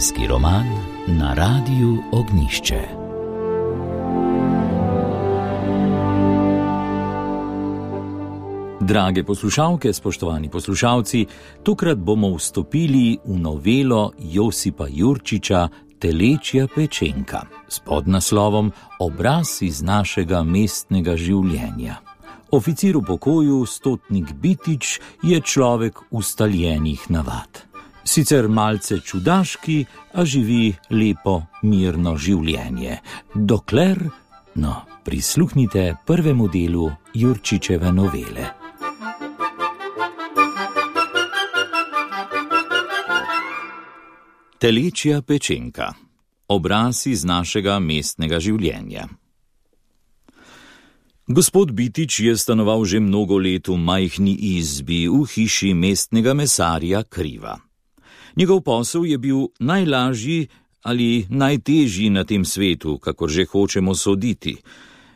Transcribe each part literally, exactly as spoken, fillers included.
Zimski roman na Radiu Ognjišče. Drage poslušalke, spoštovani poslušalci, tokrat bomo vstopili v novelo Josipa Jurčiča Telečja pečenka s podnaslovom Obraz iz našega mestnega življenja. Oficir v pokoju, stotnik Bitič, je človek ustaljenih navad. Sicer malce čudaški, a živi lepo, mirno življenje. Dokler, no, prisluhnite prvemu delu Jurčičeve novele. Telečja pečenka. Obraz iz našega mestnega življenja. Gospod Bitič je stanoval že mnogo let v majhni izbi v hiši mestnega mesarja Kriva. Njegov posel je bil najlažji ali najtežji na tem svetu, kakor že hočemo soditi.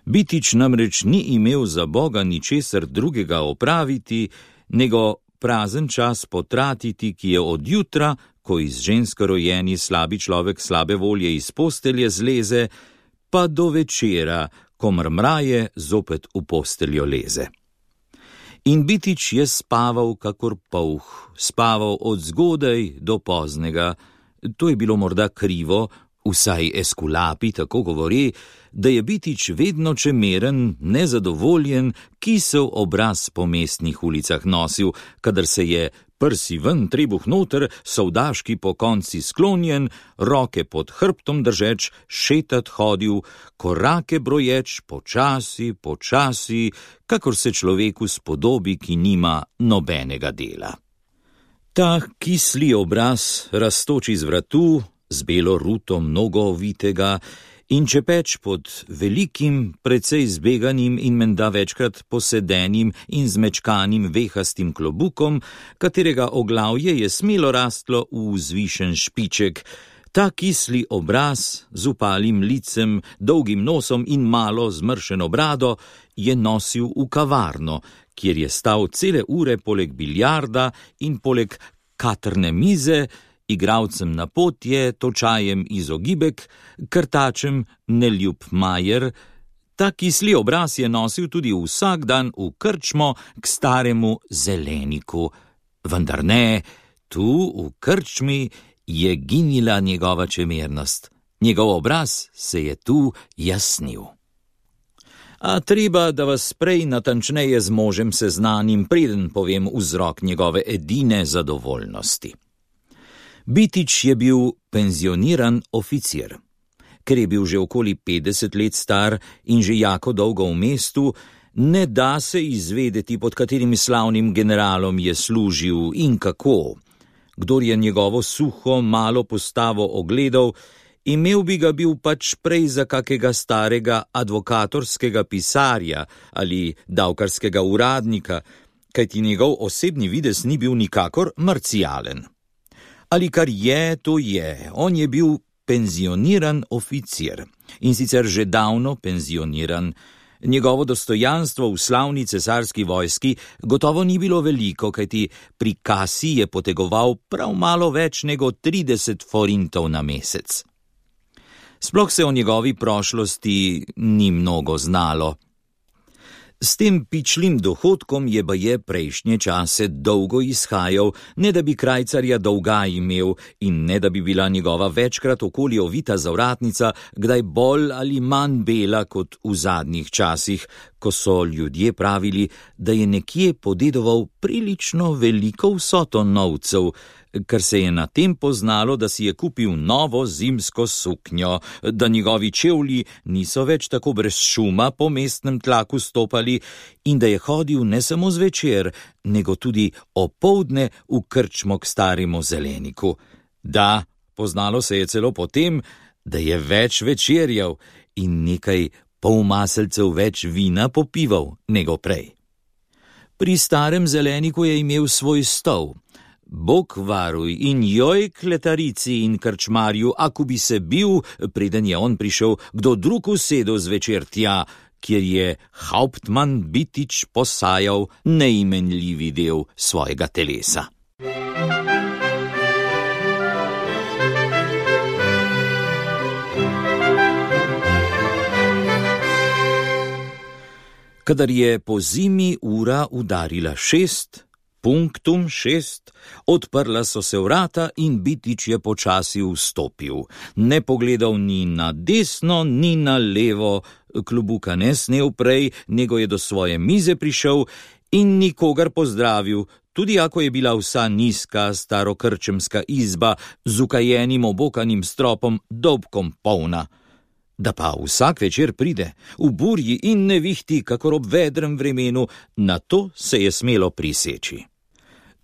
Bitič namreč ni imel za Boga ničesar drugega opraviti, nego prazen čas potratiti, ki je od jutra, ko iz žensko rojeni slabi človek slabe volje iz postelje zleze, pa do večera, ko mrmraje zopet v posteljo leze. In Bitič je spaval kakor polh, spaval od zgodaj do poznega. To je bilo morda krivo, vsaj Eskulapi tako govori, da je Bitič vedno čemeren, nezadovoljen, kisel obraz po mestnih ulicah nosil, kadar se je prsi ven, trebuh noter, sovdaški po konci sklonjen, roke pod hrbtom držeč, šetat hodil, korake broječ, počasi, počasi, kakor se človeku spodobi, ki nima nobenega dela. Ta kisli obraz raztoči z vratu, z belo ruto mnogo ovitega, in čepeč pod velikim, precej zbeganim in menda večkrat posedenim in zmečkanim vehastim klobukom, katerega oglavje je smelo rastlo v vzvišen špiček. Ta kisli obraz z upalim licem, dolgim nosom in malo zmršeno brado je nosil v kavarno, kjer je stal cele ure poleg biljarda in poleg katrne mize, igralcem na potje, točajem izogibek, krtačem neljub majer. Ta kisli obraz je nosil tudi vsak dan v krčmo k staremu zeleniku. Vendar ne, tu v krčmi je ginila njegova čemernost. Njegov obraz se je tu jasnil. A treba, da vas prej natančneje z možem seznanim, preden povem vzrok njegove edine zadovoljnosti. Bitič je bil penzioniran oficir. Ker je bil že okoli petdeset let star in že jako dolgo v mestu, ne da se izvedeti, pod katerim slavnim generalom je služil in kako. Kdor je njegovo suho, malo postavo ogledal, imel bi ga bil pač prej za kakega starega advokatorskega pisarja ali davkarskega uradnika, kajti njegov osebni videz ni bil nikakor marcialen. Ali kar je, to je, on je bil penzioniran oficir in sicer že davno penzioniran. Njegovo dostojanstvo v slavni cesarski vojski gotovo ni bilo veliko, kajti pri kasi je potegoval prav malo več nego trideset forintov na mesec. Sploh se o njegovi prošlosti ni mnogo znalo. S tem pičlim dohodkom je baje prejšnje čase dolgo izhajal, ne da bi krajcarja dolga imel in ne da bi bila njegova večkrat okoli ovita zavratnica kdaj bolj ali manj bela kot v zadnjih časih, ko so ljudje pravili, da je nekje podedoval prilično veliko vsoto novcev, kar se je na tem poznalo, da si je kupil novo zimsko suknjo, da njegovi čevlji niso več tako brez šuma po mestnem tlaku stopali in da je hodil ne samo zvečer, nego tudi opoldne v krčmo k staremu zeleniku. Da, poznalo se je celo potem, da je več večerjal in nekaj pol maselcev več vina popival nego prej. Pri starem zeleniku je imel svoj stol. Bog varuj in joj kletarici in krčmarju, ako bi se bil, preden je on prišel, kdo drug usedel zvečer tja, kjer je hauptmann Bitič posajal neimenljivi del svojega telesa. Kadar je po zimi ura udarila šest, punktum šest, odprla so se vrata in Bitič je počasi vstopil. Ne pogledal ni na desno, ni na levo, klobuka ne snel prej, nego je do svoje mize prišel in nikogar pozdravil, tudi ako je bila vsa nizka starokrčemska izba z ukajenim obokanim stropom dolbkom polna. Da pa vsak večer pride, v burji in nevihti, kakor ob vedrem vremenu, na to se je smelo priseči.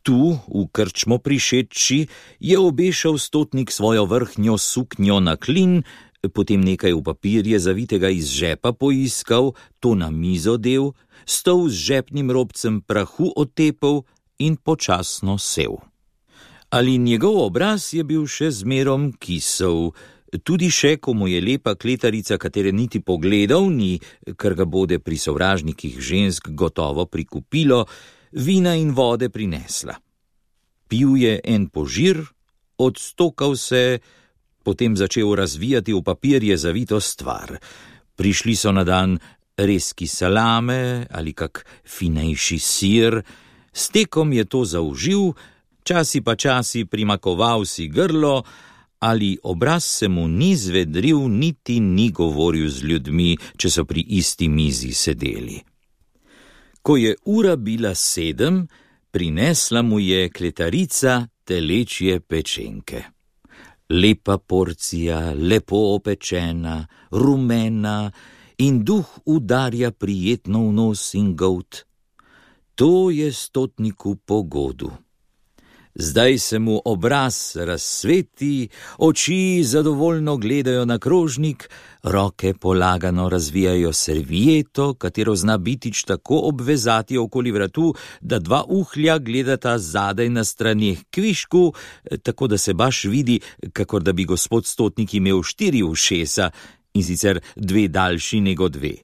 Tu, v krčmo prišedči, je obešal stotnik svojo vrhnjo suknjo na klin, potem nekaj v papirje zavitega iz žepa poiskal, to na mizo del, stol z žepnim robcem prahu otepal in počasno sev. Ali njegov obraz je bil še zmerom kisel, tudi še, ko mu je lepa kletarica, katere niti pogledal ni, ker ga bode pri sovražnikih žensk gotovo prikupilo, vina in vode prinesla. Pil je en požir, odstokal se, potem začel razvijati v papirje zavito stvar. Prišli so na dan rezki salame ali kak finejši sir, s tekom je to zaužil, časi pa časi primakoval si grlo, ali obraz se mu ni zvedril, niti ni govoril z ljudmi, če so pri isti mizi sedeli. Ko je ura bila sedem, prinesla mu je kletarica telečje pečenke. Lepa porcija, lepo opečena, rumena in duh udarja prijetno v nos in golt. To je stotniku pogodu. Zdaj se mu obraz razsveti, oči zadovoljno gledajo na krožnik, roke polagano razvijajo servieto, katero zna Bitič tako obvezati okoli vratu, da dva uhlja gledata zadaj na straneh kvišku, tako da se baš vidi, kakor da bi gospod stotnik imel štiri ušesa, in sicer dve daljši nego dve.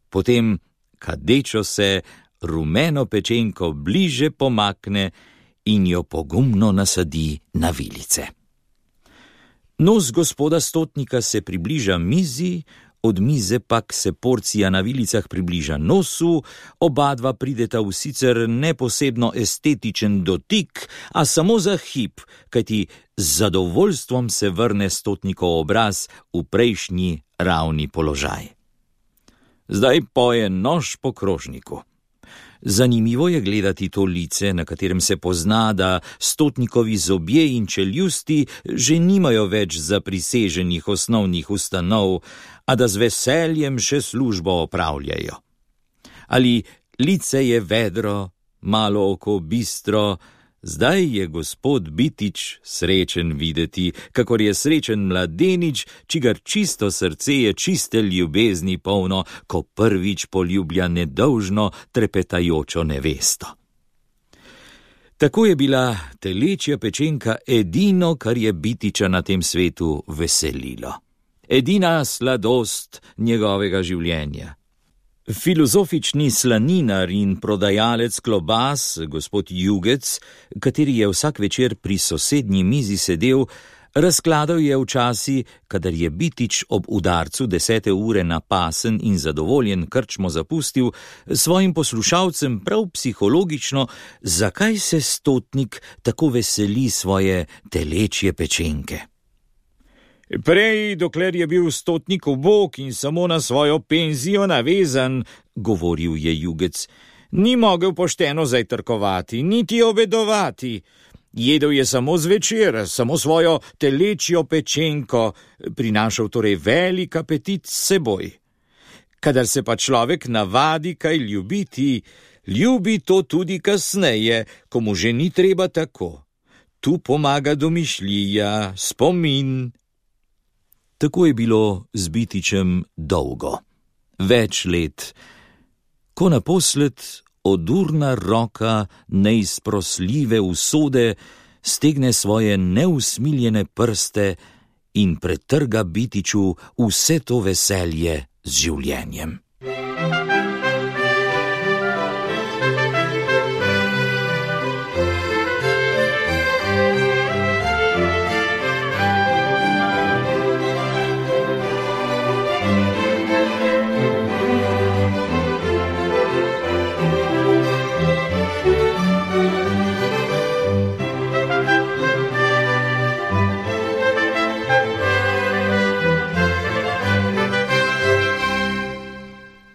Potem, kadečo se, rumeno pečenko bliže pomakne in jo pogumno nasadi na vilice. Nos gospoda stotnika se približa mizi, od mize pak se porcija na vilicah približa nosu, oba dva prideta v sicer neposebno estetičen dotik, a samo za hip, kajti z zadovoljstvom se vrne stotnikov obraz v prejšnji ravni položaj. Zdaj poje nož po krožniku. Zanimivo je gledati to lice, na katerem se pozna, da stotnikovi zobje in čeljusti že nimajo več zapriseženih osnovnih ustanov, a da z veseljem še službo opravljajo. Ali lice je vedro, malo oko bistro, zdaj je gospod Bitič srečen videti, kakor je srečen mladenič, čigar čisto srce je čiste ljubezni polno, ko prvič poljublja nedolžno trepetajočo nevesto. Tako je bila telečja pečenka edino, kar je Bitiča na tem svetu veselilo. Edina sladost njegovega življenja. Filozofični slaninar in prodajalec klobas, gospod Jugec, kateri je vsak večer pri sosednji mizi sedel, razkladal je v časi, kadar je Bitič ob udarcu desete ure napasen in zadovoljen krčmo zapustil, svojim poslušalcem prav psihologično, zakaj se stotnik tako veseli svoje telečje pečenke. Prej, dokler je bil stotnik ubog in samo na svojo penzijo navezan, govoril je Jugec, ni mogel pošteno zajtrkovati, niti obedovati. Jedel je samo zvečer, samo svojo telečjo pečenko, prinašal torej velik apetit s seboj. Kadar se pa človek navadi kaj ljubiti, ljubi to tudi kasneje, ko mu že ni treba tako. Tu pomaga domišljija, spomin. Tako je bilo z Bitičem dolgo, več let, ko naposled odurna roka neizprosljive usode stegne svoje neusmiljene prste in pretrga Bitiču vse to veselje z življenjem.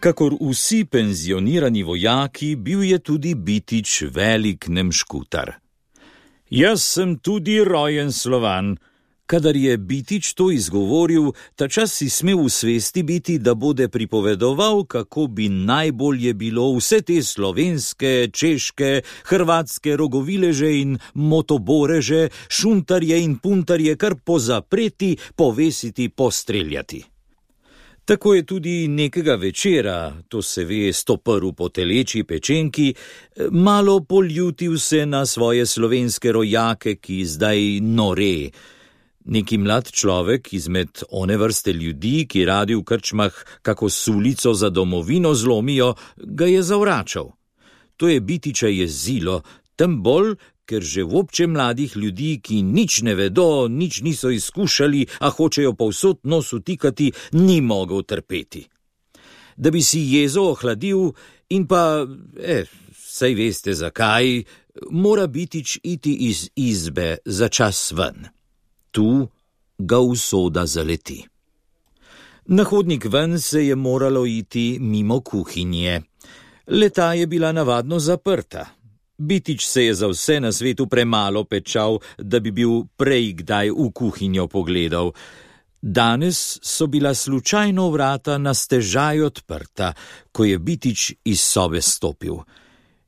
Kakor vsi penzionirani vojaki, bil je tudi Bitič velik nemškutar. Jaz sem tudi rojen Slovan. Kadar je Bitič to izgovoril, tačas si smel v svesti biti, da bode pripovedoval, kako bi najbolje bilo vse te slovenske, češke, hrvatske rogovileže in motoboreže, šuntarje in puntarje kar pozapreti, povesiti, postreljati. Tako je tudi nekega večera, to se ve, stoprl po teleči pečenki, malo poljutil se na svoje slovenske rojake, ki zdaj nore. Neki mlad človek izmed one vrste ljudi, ki radi v krčmah kako sulico za domovino zlomijo, ga je zavračal. To je Bitiča jezilo, tem bolj, ker že vobče mladih ljudi, ki nič ne vedo, nič niso izkušali, a hočejo povsod nos utikati, ni mogel trpeti. Da bi si jezo ohladil in pa, eh, saj veste zakaj, mora Bitič iti iz izbe za čas ven. Tu ga usoda zaleti. Na hodnik ven se je moralo iti mimo kuhinje. Le-ta je bila navadno zaprta. Bitič se je za vse na svetu premalo pečal, da bi bil prej kdaj v kuhinjo pogledal. Danes so bila slučajno vrata na stežaj odprta, ko je Bitič iz sobe stopil.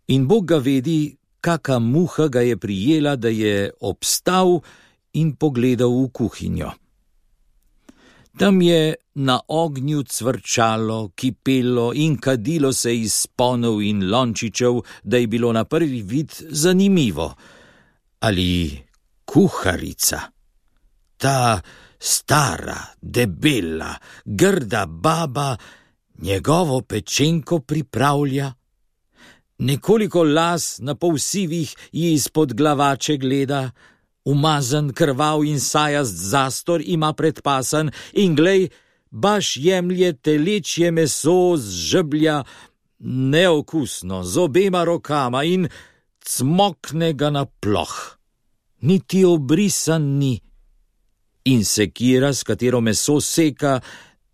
In Bog ga vedi, kaka muha ga je prijela, da je obstal in pogledal v kuhinjo. Tam je na ognju cvrčalo, kipelo in kadilo se iz sponov in lončičev, da je bilo na prvi vid zanimivo. Ali kuharica, ta stara, debela, grda baba, njegovo pečenko pripravlja? Nekoliko las na pol sivih ji izpod glavače gleda, umazan, krvav in sajast zastor ima predpasan in glej, baš jemlje telečje meso z žeblja, neokusno, z obema rokama in cmokne ga na ploh. Niti obrisan ni. In sekira, s katero meso seka,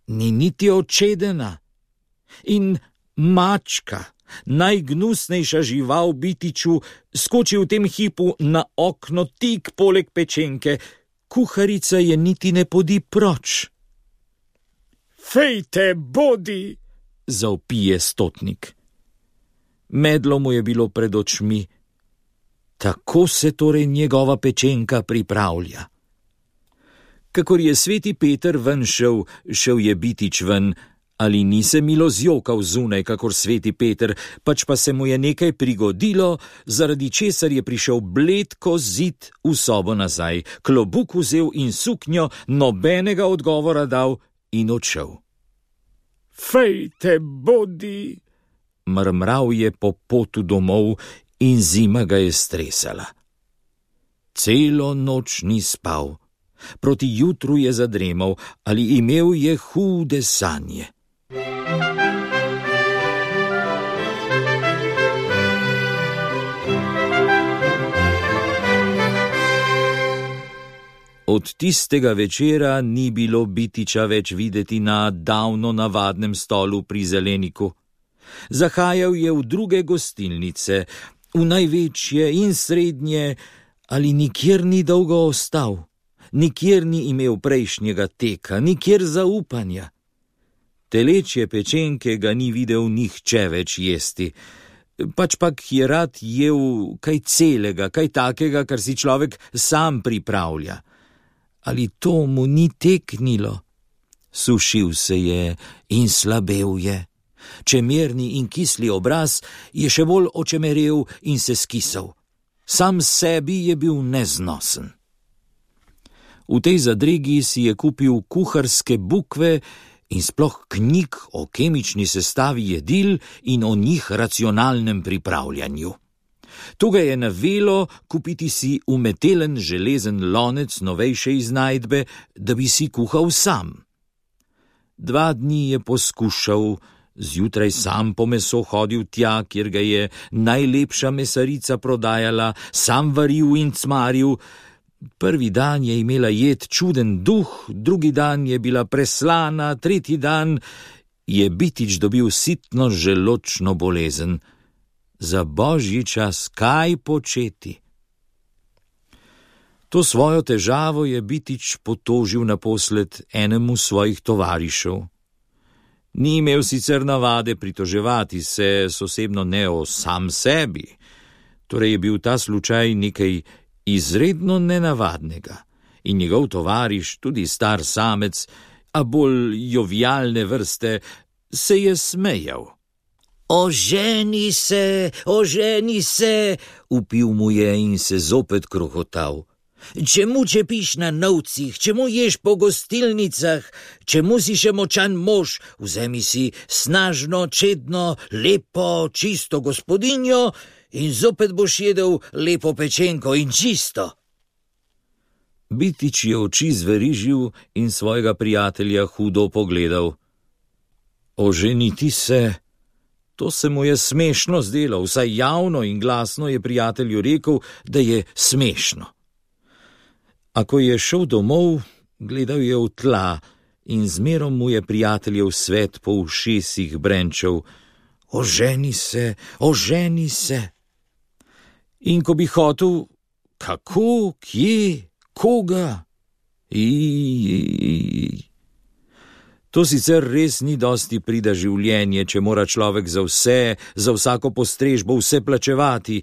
ni niti očedena. In mačka, najgnusnejša žival Bitiču, skoči v tem hipu na okno tik poleg pečenke, kuharica je niti ne podi proč. Fejte, bodi, zavpije stotnik. Medlo mu je bilo pred očmi. Tako se torej njegova pečenka pripravlja. Kakor je sveti Peter ven šel, šel je Bitič ven, ali ni se milo zjokal zunaj, kakor sveti Peter, pač pa se mu je nekaj prigodilo, zaradi česar je prišel bled ko zid v sobo nazaj, klobuk vzel in suknjo, nobenega odgovora dal in odšel. Fejte, bodi, mrmral je po potu domov in zima ga je stresala. Celo noč ni spal, proti jutru je zadremal, ali imel je hude sanje. Od tistega večera ni bilo Bitiča več videti na davno navadnem stolu pri zeleniku. Zahajal je v druge gostilnice, v največje in srednje, ali nikjer ni dolgo ostal. Nikjer ni imel prejšnjega teka, nikjer zaupanja. Telečje pečenke ga ni videl nihče več jesti, pač pak je rad jel kaj celega, kaj takega, kar si človek sam pripravlja. Ali to mu ni teknilo? Sušil se je in slabel je. Čemerni in kisli obraz je še bolj očemerel in se skisal. Sam sebi je bil neznosen. V tej zadregi si je kupil kuharske bukve in sploh knjig o kemični sestavi jedil in o njih racionalnem pripravljanju. To ga je navelo kupiti si umetelen železen lonec novejše iznajdbe, da bi si kuhal sam. Dva dni je poskušal, zjutraj sam po meso hodil tja, kjer ga je najlepša mesarica prodajala, sam varil in cmaril. Prvi dan je imela jed čuden duh, drugi dan je bila preslana, tretji dan je Bitič dobil sitno želočno bolezen. Za božji čas, kaj početi? To svojo težavo je Bitič potožil naposled enemu svojih tovarišev. Ni imel sicer navade pritoževati se osebno ne o sam sebi, torej je bil ta slučaj nekaj izredno nenavadnega in njegov tovariš, tudi star samec, a bolj jovialne vrste, se je smejal. Oženi se, oženi se, vpil mu je in se zopet krohotal. Čemu čepiš na novcih, čemu ješ po gostilnicah, čemu si še močan mož, vzemi si snažno, čedno, lepo, čisto gospodinjo in zopet boš jedel lepo pečenko in čisto. Bitič je oči zverižil in svojega prijatelja hudo pogledal. Oženiti se? To se mu je smešno zdelo, vsaj javno in glasno je prijatelju rekel, da je smešno. A ko je šel domov, gledal je v tla in zmerom mu je prijateljev svet po ušesih brenčal. Oženi se, oženi se. In ko bi hotel, kako, kje, koga? Ijijij. To sicer res ni dosti prida življenje, če mora človek za vse, za vsako postrežbo vse plačevati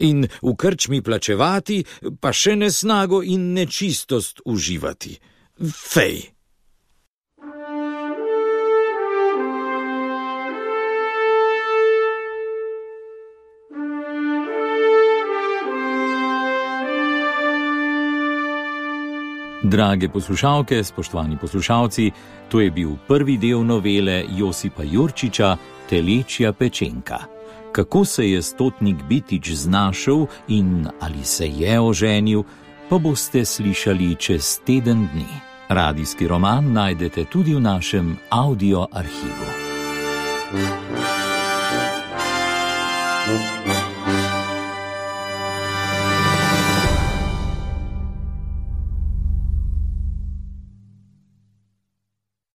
in v krčmi plačevati, pa še nesnago in nečistost uživati. Fej! Drage poslušalke, spoštovani poslušalci, to je bil prvi del novele Josipa Jurčiča Telečja pečenka. Kako se je stotnik Bitič znašel in ali se je oženil, pa boste slišali čez teden dni. Radijski roman najdete tudi v našem audio arhivu.